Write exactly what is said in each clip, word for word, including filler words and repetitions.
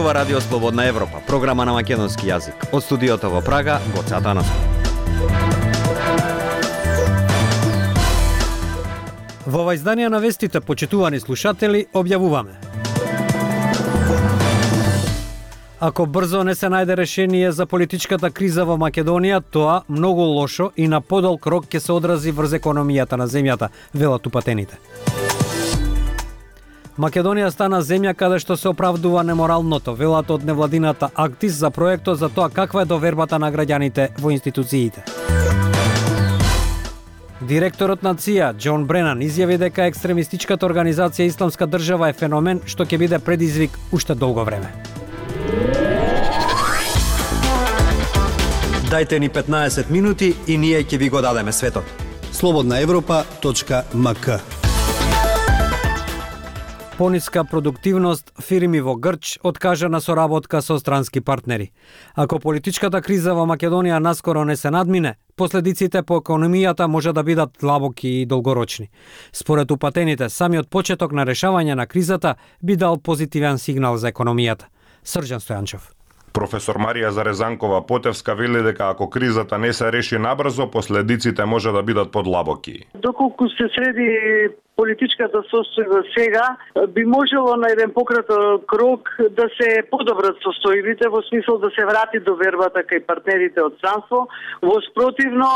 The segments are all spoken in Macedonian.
зборува Радио Слободна Европа, програма на македонски јазик. Од студиото во Прага, Гоце Атанасов. Во ова издание на вестите, почитувани слушатели, објавуваме: ако брзо не се најде решение за политичката криза во Македонија, тоа многу лошо и на подолг рок ќе се одрази врз економијата на земјата, велат упатените. Македонија стана земја каде што се оправдува неморалното, велат од невладината Актис за проектот за тоа каква е довербата на граѓаните во институциите. Директорот на ЦИА, Џон Бренан, изјави дека екстремистичката организација Исламска држава е феномен што ќе биде предизвик уште долго време. Дајте ни петнаесет минути и ние ќе ви го дадеме светот. слободна европа точка ем ка. Пониска продуктивност, фирми во Грч откажа на соработка со странски партнери. Ако политичката криза во Македонија наскоро не се надмине, последиците по економијата може да бидат длабоки и долгорочни. Според упатените, самиот почеток на решавање на кризата би дал позитивен сигнал за економијата. Срđan Стојанчов. Професор Марија Зарезанкова Потевска вели дека ако кризата не се реши набрзо, последиците може да бидат подлабоки. Доколку се среди политичката состојба сега, би можело на еден пократок рок да се подобрат состојбите во смисол да се врати довербата кај партнерите од странство. Во спротивно,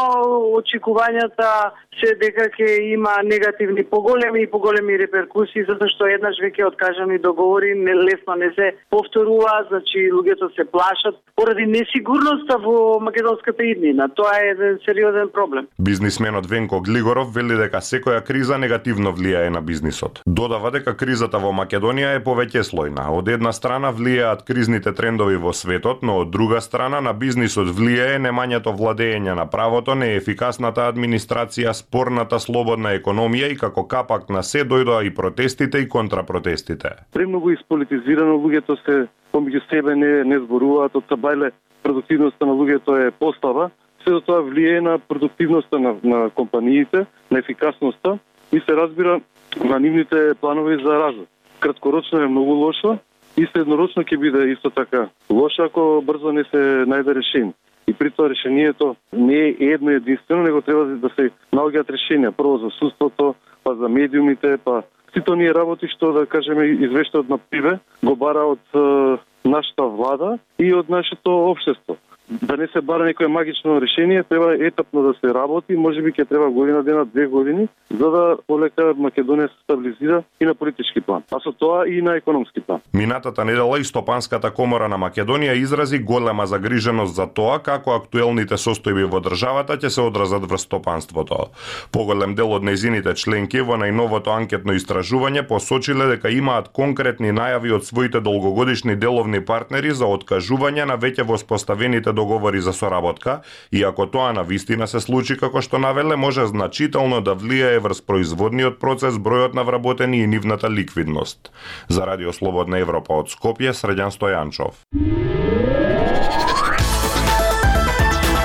очекувањата се дека ќе има негативни поголеми и поголеми реперкусии, затоа што еднаш веќе откажани договори лесно не се повторува, значи луѓето се плашат поради несигурноста во македонската иднина. Тоа е еден сериозен проблем. Бизнисменот Венко Глигоров вели дека секоја криза негативно влијае на бизнисот. Додава дека кризата во Македонија е повеќеслојна. Од една страна влијаат кризните трендови во светот, но од друга страна на бизнисот влијае немањето владење на правото, неефикасната администрација, спорната слободна економија и како капак на се дојдоа и протестите и контрапротестите. Премногу исполитизирано, луѓето се помеѓу себе не не зборуваат, од сабајле продуктивноста на луѓето е послаба. Сето тоа влијае на продуктивноста на, на компаниите, на ефикасноста и се разбира на нивните планови за развој. Краткорочно е многу лошо и среднорочно ќе биде исто така лошо ако брзо не се најде решение. И при тоа решението не е едно единствено, него треба да се наоѓаат решенија. Прво за судството, па за медиумите, па сите оние работи што, да кажеме, извештаот на Пиве го бара од е, нашата влада и од нашето општество. Да не се бара некое магично решение, треба етапно да се работи, можеби ќе треба година дена, две години, за да полека Македонија се стабилизира и на политички план, а со тоа и на економски план. Минатата недела и Стопанската комора на Македонија изрази голема загриженост за тоа како актуелните состојби во државата ќе се одразат врз стопанството. Поголем дел од нејзините членки во најновото анкетно истражување посочиле дека имаат конкретни најави од своите долгогодишни деловни партнери за откажување на веќе воспоставените договори за соработка, и ако тоа на вистина се случи како што навеле, може значително да влијае врз производниот процес, бројот на вработени и нивната ликвидност. За Радио Слободна Европа од Скопје, Срđan Стојанчов.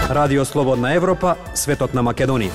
Радио Слободна Европа, светот на Македонија.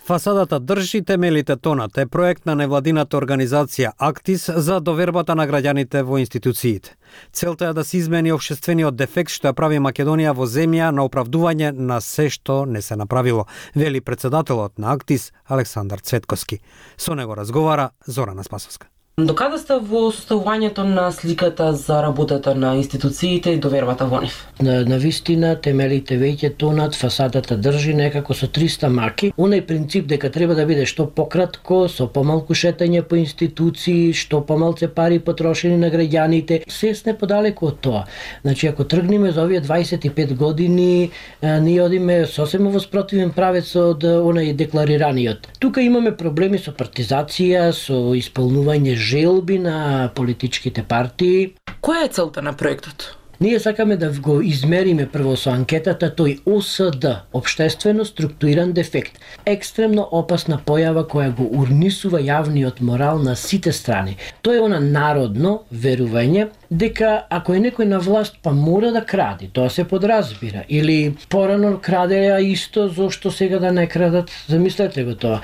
Фасадата држи, темелите тонат е проект на невладината организација Актис за довербата на граѓаните во институциите. Целта е да се измени општествениот дефект што ја прави Македонија во земја на оправдување на се што не се направило, вели председателот на Актис Александар Цветковски. Со него разговара Зорана Спасовска. Докаде сте во составувањето на сликата за работата на институциите и довербата во нив? На, на вистина, темелите веќе тонат, фасадата држи некако со триста маки. Онај принцип дека треба да биде што пократко, со помалку шетање по институции, што помалце пари потрошени на граѓаните, се сме подалеку од тоа. Значи, ако тргнеме за овие дваесет и пет години, а, ние одиме сосема во спротивен правец од онај декларираниот. Тука имаме проблеми со партизација, со исполнување желби на политичките партии. Која е целта на проектот? Ние сакаме да го измериме прво со анкетата тој О С Д, општествено структуриран дефект, екстремно опасна појава која го урнисува јавниот морал на сите страни. Тоа е она народно верување дека ако е некој на власт па мора да кради, тоа се подразбира. Или порано крадела исто, зошто сега да не крадат? Замислете го тоа.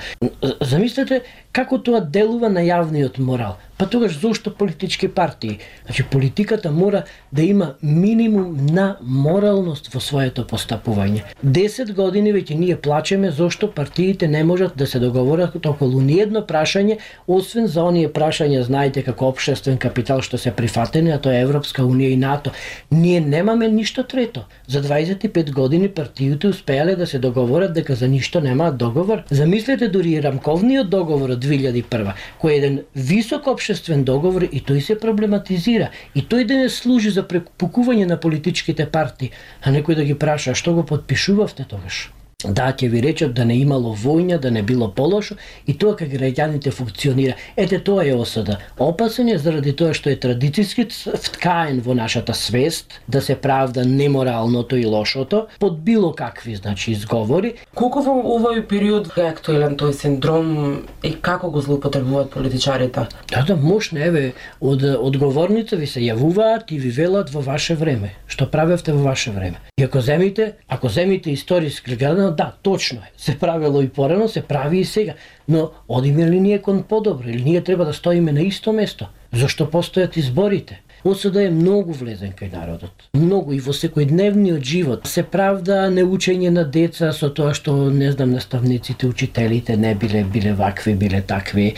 Замислете како тоа делува на јавниот морал. Па тогаш зошто политички партии? Значи политиката мора да има минимум на моралност во своето постапување. десет години веќе ние плачеме зошто партиите не можат да се договорат околу ниедно прашање, освен за оние прашања, знаете, како општествен капитал што се прифатени, а тоа е Европска унија и НАТО. Ние немаме ништо трето. За дваесет и пет години партиите успеале да се договорат дека за ништо немаат договор. Замислете дури и рамковниот договор од две илјади и прва, кој е еден висок општествен договор и тој се проблематизира. И тој денес служи за препукување на политичките партии, а некој да ги праша што го подпишувавте тогаш. Да, ќе ви речат да не имало војна, да не било полошо и тоа како граѓаните функционира. Ете тоа е осуда. Опасен е заради тоа што е традицијски вткаен во нашата свест да се правда неморалното и лошото под било какви, значи, изговори. Колку во овој период е актуелен тој синдром и како го злоупотребуваат политичарите? Да, да, мощно, еве, од одговорните ви се јавуваат и ви велат во ваше време. Што правевте во ваше време? И ако земите, ако земите историски гледано, да, точно е. Се правило и порано, се прави и сега. Но одиме ли ние кон подобро? Или ние треба да стоиме на исто место? Зошто постојат изборите? Осуда е многу влезен кај народот. Многу и во секојдневниот живот. Се правда неучење на деца со тоа што, не знам, наставниците, учителите не биле, биле вакви, биле такви.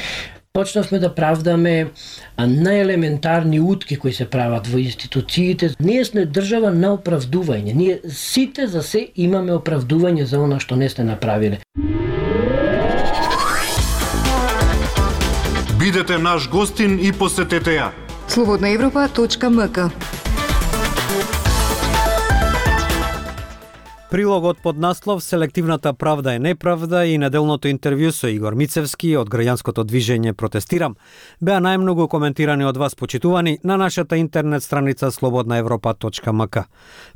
Почнавме да правдаме најелементарни утки кои се прават во институциите. Ние сме држава на оправдување. Ние сите за се имаме оправдување за она што не сте направиле. Бидете наш гостин и посетете ја. слободна европа точка ем ка. Прилогот под наслов "Селективната правда е неправда" и неделното интервју со Игор Мицевски од граѓанското движење Протестирам беа најмногу коментирани од вас, почитувани, на нашата интернет страница слободна европа точка ем ка.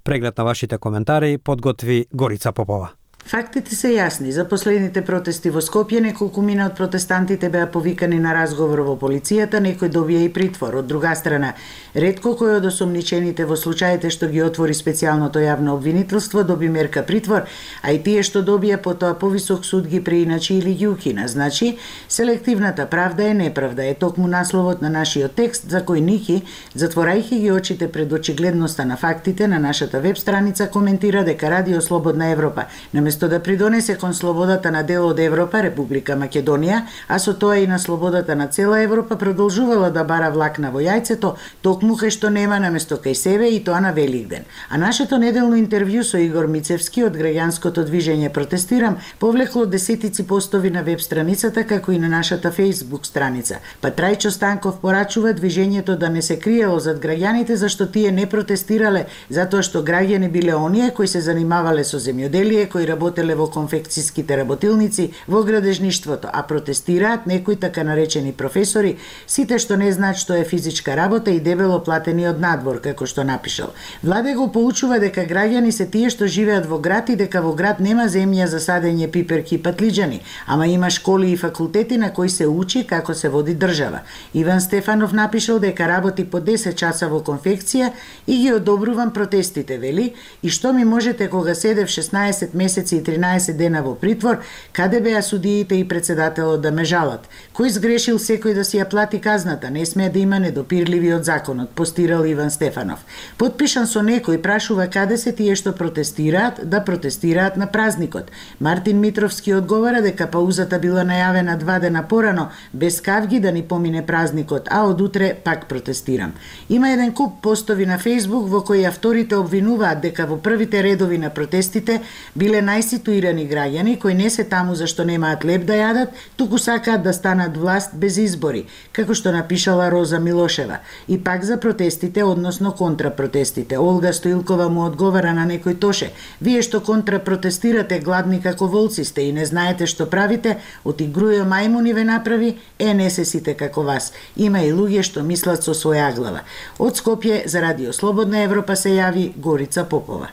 Преглед на вашите коментари подготви Горица Попова. Фактите се јасни. За последните протести во Скопје неколку мина од протестантите беа повикани на разговор во полицијата, некој добија и притвор. Од друга страна, ретко кој од осомничените во случаите што ги отвори специјалното јавно обвинителство доби мерка притвор, а и тие што добија потоа повисок суд ги преиначи или ги укина. Значи, селективната правда е неправда е токму насловот на нашиот текст за кој Ники, затворајќи ги очите пред очигледноста на фактите на нашата веб страница, коментира дека Радио Слободна Европа наместо да придонесе кон слободата на дел од Европа, Република Македонија, а со тоа и на слободата на цела Европа, продолжувала да бара влакна во јајцето, токму кај што нема наместо кај себе, и тоа на Великден. А нашето неделно интервју со Игор Мицевски од граѓанското движење Протестирам повлекло десетици постови на веб страницата, како и на нашата Facebook страница. Па Трајчо Станков порачува движењето да не се криело зад граѓаните, зашто тие не протестирале затоа што граѓани биле оние кои се занимавале со земјоделие, кои работеле во конфекцијските работилници, во градежништвото, а протестираат некои така наречени професори, сите што не знаат што е физичка работа и дебело платени од надвор, како што напишал. Владе го поучува дека граѓани се тие што живеат во град и дека во град нема земја за садење пиперки и патлиџани, ама има школи и факултети на кои се учи како се води држава. Иван Стефанов напишал дека работи по десет часа во конфекција и ги одобрувам протестите, вели, и што ми можете кога седев шеснаесет месеци и тринаесет дена во притвор, каде беа судиите и председателот да ме жалат? Кој сгрешил секој да си ја плати казната? Не смее да има недопирливи од законот, постирал Иван Стефанов. Подпишан со некој, прашува каде се тие што протестираат, да протестираат на празникот. Мартин Митровски одговара дека паузата била најавена два дена порано, без кавги да ни помине празникот, а од утре пак протестирам. Има еден куп постови на Facebook во кои авторите обвинуваат дека во првите редови на протестите биле најситуирани граѓани кои не се таму зашто немаат леп да јадат, туку сакаат да станат власт без избори, како што напишала Роза Милошева. И пак за протестите, односно контрапротестите. Олга Стоилкова му одговара на некој тоше: "Вие што контрапротестирате, гладни како волци сте и не знаете што правите, од игрујо мајмуни ве направи, е не се сите како вас. Има и луѓе што мислат со своја глава." Од Скопје за Радио Слободна Европа се јави Горица Попова.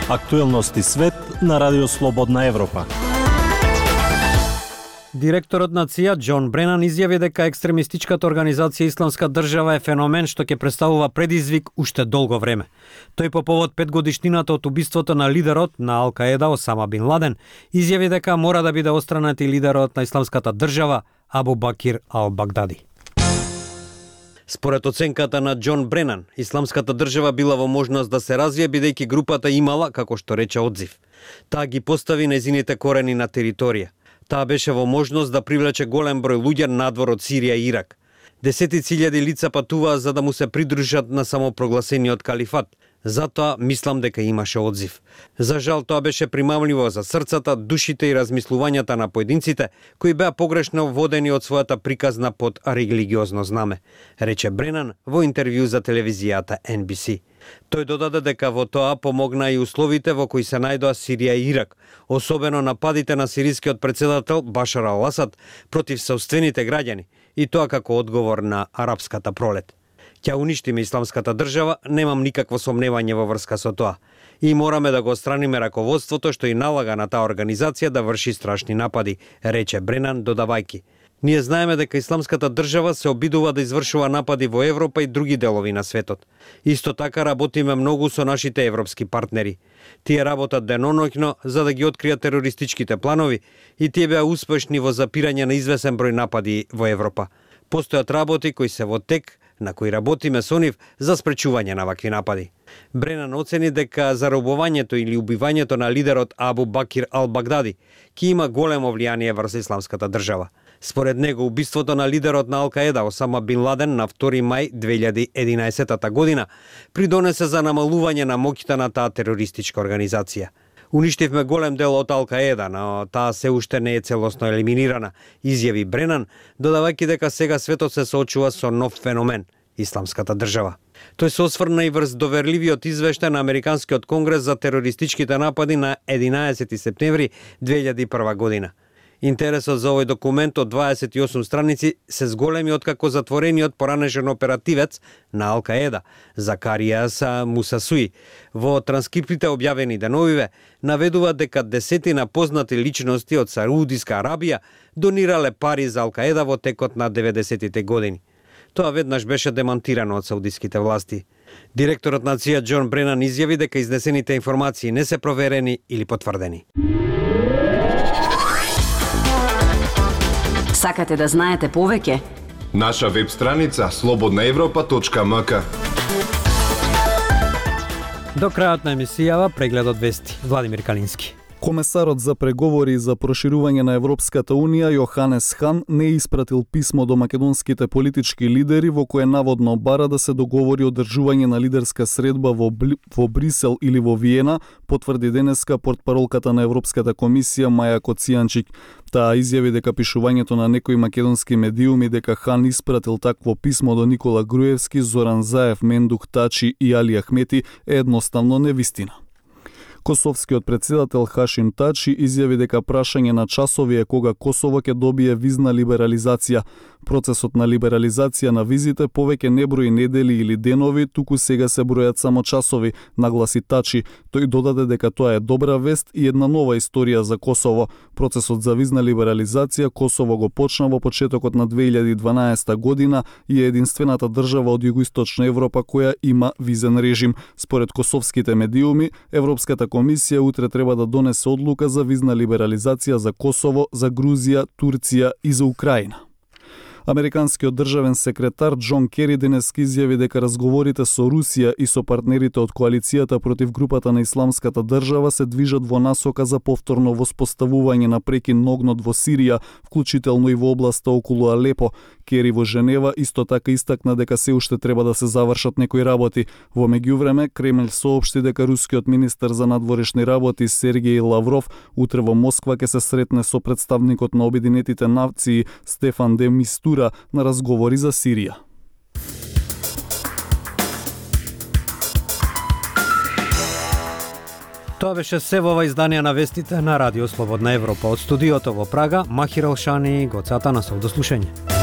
Актуелности свет на Радио Слободна Европа. Директорот на ЦИ А Џон Бренан изјави дека екстремистичката организација Исламска држава е феномен што ќе представува предизвик уште долго време. Тој по повод петгодишнината од убиството на лидерот на Ал-Каеда Осама Бин Ладен изјави дека мора да биде отстранет и лидерот на Исламската држава Абу Бакир Ал-Багдади. Според оценката на Џон Бренан, Исламската држава била во можност да се развие бидејќи групата имала, како што рече, одзив. Таа ги постави нејзините корени на територија. Таа беше во можност да привлече голем број луѓе надвор од Сирија и Ирак. Десетици илјади лица патуваа за да му се придружат на самопрогласениот калифат. Затоа мислам дека имаше одзив. За жал тоа беше примамливо за срцата, душите и размислувањата на поединците кои беа погрешно водени од својата приказна под религиозно знаме, рече Бренан во интервју за телевизијата Ен Би Си. Тој додаде дека во тоа помогна и условите во кои се најдоа Сирија и Ирак, особено нападите на сирискиот председател Башар Ал-Асад против сопствените граѓани, и тоа како одговор на арапската пролет. Ќе уништиме Исламската држава, немам никакво сомневање во врска со тоа. И мораме да го отстраниме раководството што и налага на таа организација да врши страшни напади, рече Бренан додавајки. Ние знаеме дека Исламската држава се обидува да извршува напади во Европа и други делови на светот. Исто така работиме многу со нашите европски партнери. Тие работат деноноќно за да ги откријат терористичките планови и тие беа успешни во запирање на извесен број напади во Европа. Постојат работи кои се во тек, на кои работиме со нив за спречување на вакви напади. Бренан оцени дека заробувањето или убивањето на лидерот Абу Бакир Ал-Багдади ќе има големо влијание врз Исламската држава. Според него, убиството на лидерот на Ал-Каеда Осама Бин Ладен на втори мај две илјади и единаесета година придонесе за намалување на моќта на таа терористичка организација. Уништивме голем дел од Ал-Каеда, но таа се уште не е целосно елиминирана, изјави Бренан, додавајќи дека сега светот се соочува со нов феномен – Исламската држава. Тој се осврна и врз доверливиот извештај на Американскиот конгрес за терористичките напади на единаесети септември две илјади и прва година. Интересот за овој документ од дваесет и осум страници се зголеми откако затворениот поранешен оперативец на Ал-Каеда, Закаријас Мусасуи, во транскриптите објавени деновиве, наведува дека десетина познати личности од Саудиска Арабија донирале пари за Ал-Каеда во текот на деветдесетите години. Тоа веднаш беше демантирано од саудиските власти. Директорот на ЦИ А Џон Бренан изјави дека изнесените информации не се проверени или потврдени. Сакате да знаете повеќе? Наша веб страница слободна европа точка ем ка. До крајот на емисијава прегледот вести. Владимир Калински. Комесарот за преговори за проширување на Европската Унија Јоханес Хан не испратил писмо до македонските политички лидери во кое наводно бара да се договори одржување на лидерска средба во, Бли... во Брисел или во Виена, потврди денеска портпаролката на Европската комисија Маја Коцијанчик. Таа изјави дека пишувањето на некои македонски медиуми дека Хан испратил такво писмо до Никола Груевски, Зоран Заев, Мендух Тачи и Али Ахмети е едноставно невистина. Косовскиот председател Хашим Тачи изјави дека прашање на часови е кога Косово ќе добие визна либерализација. Процесот на либерализација на визите повеќе не брои недели или денови, туку сега се бројат само часови, нагласи Тачи. Тој додаде дека тоа е добра вест и една нова историја за Косово. Процесот за визна либерализација Косово го почна во почетокот на две илјади и дванаесета година и е единствената држава од југоисточна Европа која има визен режим. Според косовските медиуми, Европската комисија утре треба да донесе одлука за визна либерализација за Косово, за Грузија, Турција и за Украина. Американскиот државен секретар Џон Кери денес изјави дека разговорите со Русија и со партнерите од коалицијата против групата на Исламската држава се движат во насока за повторно воспоставување на прекин огнот во Сирија, вклучително и во областа околу Алепо. Кери во Женева исто така истакна дека се уште треба да се завршат некои работи. Во меѓувреме, Кремљ соопшти дека рускиот министер за надворешни работи Сергеј Лавров утре во Москва ќе се сретне со представникот на Обединетите нации Стефан де Мистура на разговори за Сирија. Тоа беше се во ова изданија на вестите на Радио Слободна Европа. Од студиото во Прага, Махир Алшани, Гоце Атанасов. До слушање.